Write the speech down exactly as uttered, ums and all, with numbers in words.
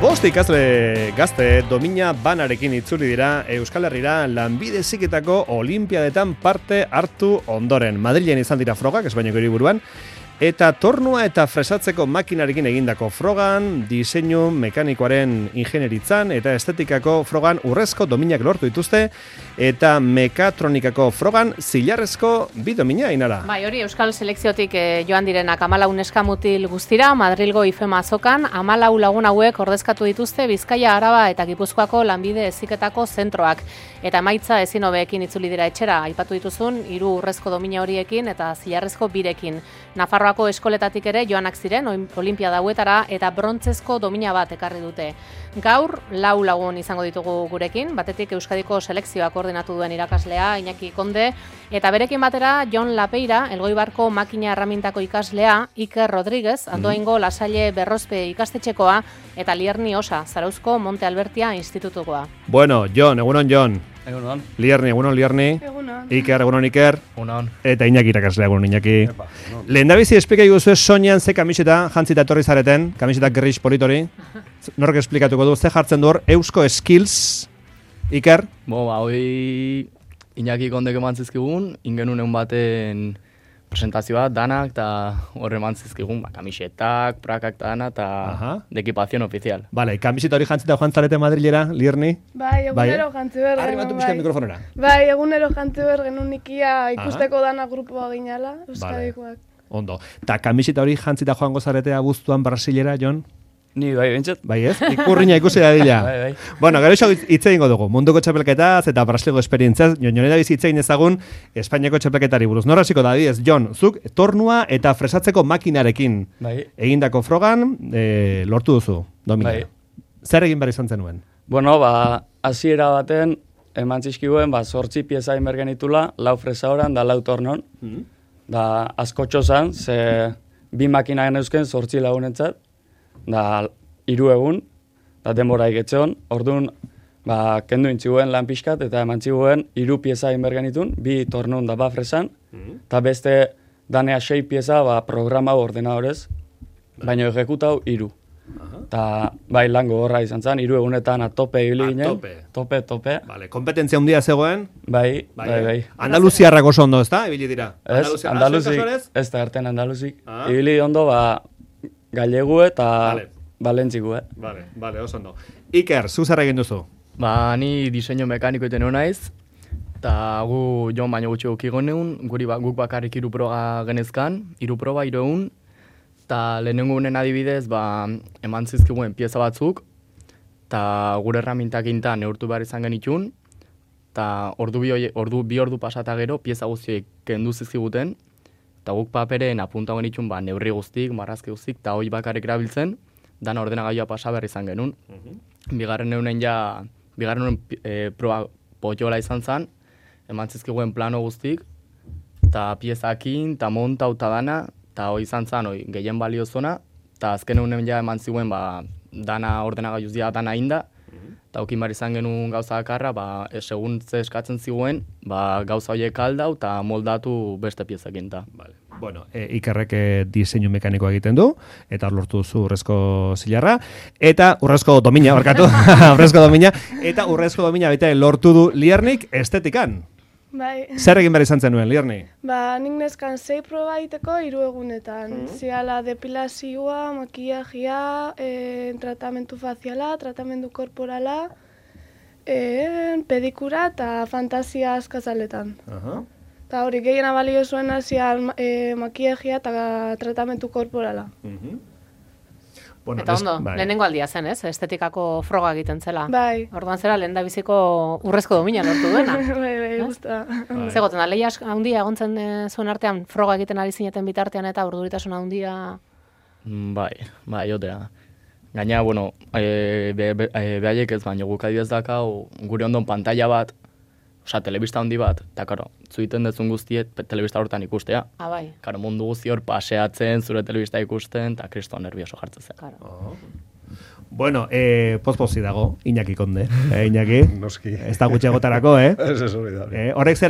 Bost ikasle gazte domina banarekin itzuli dira Euskal Herrira lanbide heziketako olimpiadetan parte hartu ondoren. Madrilen izan dira frogak, Espainiako hiriburuan, eta tornua eta fresatzeko makinarekin egindako frogan, diseinu mekanikoaren ingenieritzan eta estetikako frogan urrezko dominak lortu dituzte, eta mekatronikako frogan zilarrezko bi domina inara. Bai, hori Euskal Selekziotik eh, joan direnak hamalau neskamutil guztira, Madrilgo IFEMA azokan, hamalau lagun hauek ordezkatu dituzte Bizkaia, Araba eta Gipuzkoako lanbide heziketako zentroak. Eta emaitza ezin hobeekin itzuli dira etxera, aipatu dituzun, hiru urrezko domina horiekin eta zilarrezko birekin. Nafarroako eskoletatik ere joanak ziren olimpiada hauetara eta brontzezko domina bat ekarri dute. Gaur lau lagun izango ditugu gurekin, batetik Euskadiko selekzioa koordinatu duen irakaslea Iñaki Konde, eta berekin batera Jon Lapeira, Elgoibarko makina erramintako ikaslea, Iker Rodríguez, Andoaingo Lasalle Berrozpe ikastetxekoa, eta Lierni Osa, Zarauzko Monte Albertia institutukoa. Bueno, Jon, egunon Jon. Egunon. Lierni, egunon Lierni. Egunon. Iker, egunon Iker. Egunon. Eta Iñaki irakaslea, egunon Iñaki. Lehendabizi esplika iguzu soinean ze kamiseta jantzita etorri zareten, kamiseta gris politori. Nork esplikatuko du, ze jartzen du hor, Eusko Skills, Iker? Bo, ba, hoi Iñaki Kondek eman zizkigun, ingenun egun baten presentazioa, danak, eta horre eman zizkigun, ba, kamisetak, prakak eta dana, eta de equipación oficial. Vale, kamiseta hori jantzita joan zarete Madrilera, Lierni? Bai, egunero jantzi behar genuen. Arri batu pixka mikrofonera. Bai, egunero jantzi behar genuen ikia ikusteko dana grupoa ginala, Euskadikoak. Ondo. Ta kamiseta hori jantzita joango zarete abuztuan Brasilera, Jon? Ni bai, bentsat. Bai ez? Ikurriña ikusi da dila. Bai, bai. Bueno, gero iso hitz egingo dugu. Munduko txapelketaz eta Brasilgo esperientziaz. Jone da bizi hitz egin ezagun Espainiako txapelketari buruz. Nor hasiko da, diez, Jon, zuk tornua eta fresatzeko makinarekin bai. egindako frogan e, lortu duzu, domina. Bai. Zer egin behar izan zenuen? Bueno, ba, hasiera baten, eman zizkiguen, ba, sortzi pieza inbergen itula, lau fresa horan, da lau tornon. Mm. Da, askotxo zan, ze bi makina geneuzken sortzi lagunentzat. Da, hiru egun, da denbora iketxeon, orduan, ba, kendu intziguen lan pixkat, eta eman ziguen hiru pieza inbergenitun, bi tornun da ba fresan, eta mm. beste danea sei pieza ba, programa ordenadorez, baina ejekutau hiru. Eta bai lango horra izan zen, hiru egunetan a tope ibili ginen. Tope. Tope, tope. Vale, kompetentzia handia zegoen. Bai, bai, bai. bai. Andaluziarrak oso ondo, ezta? Ibili dira. Ez, Andaluzik, ez da erten Andaluzik. Ah. Ibili ondo, ba, Gallegu eta vale. Balentziku, eh? Vale, vale, oso ondo. Iker, zu zer egin duzu? Ba, ni diseinu mekaniko iten naiz, eta gu Jon baino gutxi ukigon egun, guri ba, guk bakarrik hiru proba genezkan, hiru proba, hiru egun, eta lehenengo unen adibidez, ba, eman zizkiguen pieza batzuk, eta gure erramintak intan neurtu behar izan genitxun, eta ordu bi, ordu, bi ordu pasata gero, pieza guztiek kendu zizkiguten, eta guk paperen apunta genitxun ba, neurri guztik, marrazki guztik, eta hoi bakarrik erabiltzen, dana ordenagailua pasa behar izan genuen. Uh-huh. Bigarren eunen ja, bigarren eunen e, proba potiola izan zen, eman zizkiguen plano guztik, eta piezakin, eta monta, eta dana, eta hoi izan zen, hoi gehien balio zona, eta azken eunen ja eman ziguen, ba, dana ordenagailuz dira dana inda, eta uh-huh. okin behar izan genuen gauza bakarra, ba, segun ze eskatzen ziguen, ba, gauza horiek aldau, eta moldatu beste piezakin. Vale. Bueno, e, Ikerrek e, diseinu mekanikoa egiten du, eta lortu duzu urrezko zilarra, eta urrezko domina, barkatu, urrezko domina, eta urrezko domina baita lortu du Liernik estetikan. Bai. Zer egin behar izan zenuen, Lierni? Ba, nik neskan sei proba egiteko hiru egunetan. Mm-hmm. Ziala depilazioa, makillagia, e, tratamentu faziala, tratamendu korporala, e, pedikura eta fantasia askazaletan. Uh-huh. Eta hori gehiena balio zuen hazian e, makillagia eta tratamentu korporala. Uh-huh. Bueno, eta ondo, bai. Lehenengo aldia zen, ez? Estetikako froga egiten zela. Bai. Orduan zera, lehen da biziko urrezko domina lortu duena. bai, bai, guztua. Bai. Zegoten da, lehia handia egontzen e, zuen artean, froga egiten ari zineten bitartean eta urduritasun handia... Bai, bai, jotea. Gaina, bueno, e, be, be, e, behaiek ez baino guk adibidez dakau, gure ondon pantalla bat, osea, telebista handi bat, eta karo, zuiten dezun guztiet telebista hortan ikustea. Ah, bai. Karo, mundu guzti hor paseatzen, zure telebista ikusten, eta kristo nervioso jartzen zen. Claro. Oh. Bueno, eh, pozpozi dago, Iñaki Konde. Eh, Iñaki? Noski. Ez da gutxe gotarako, eh? Ez ez hori da. Eh, horrek zer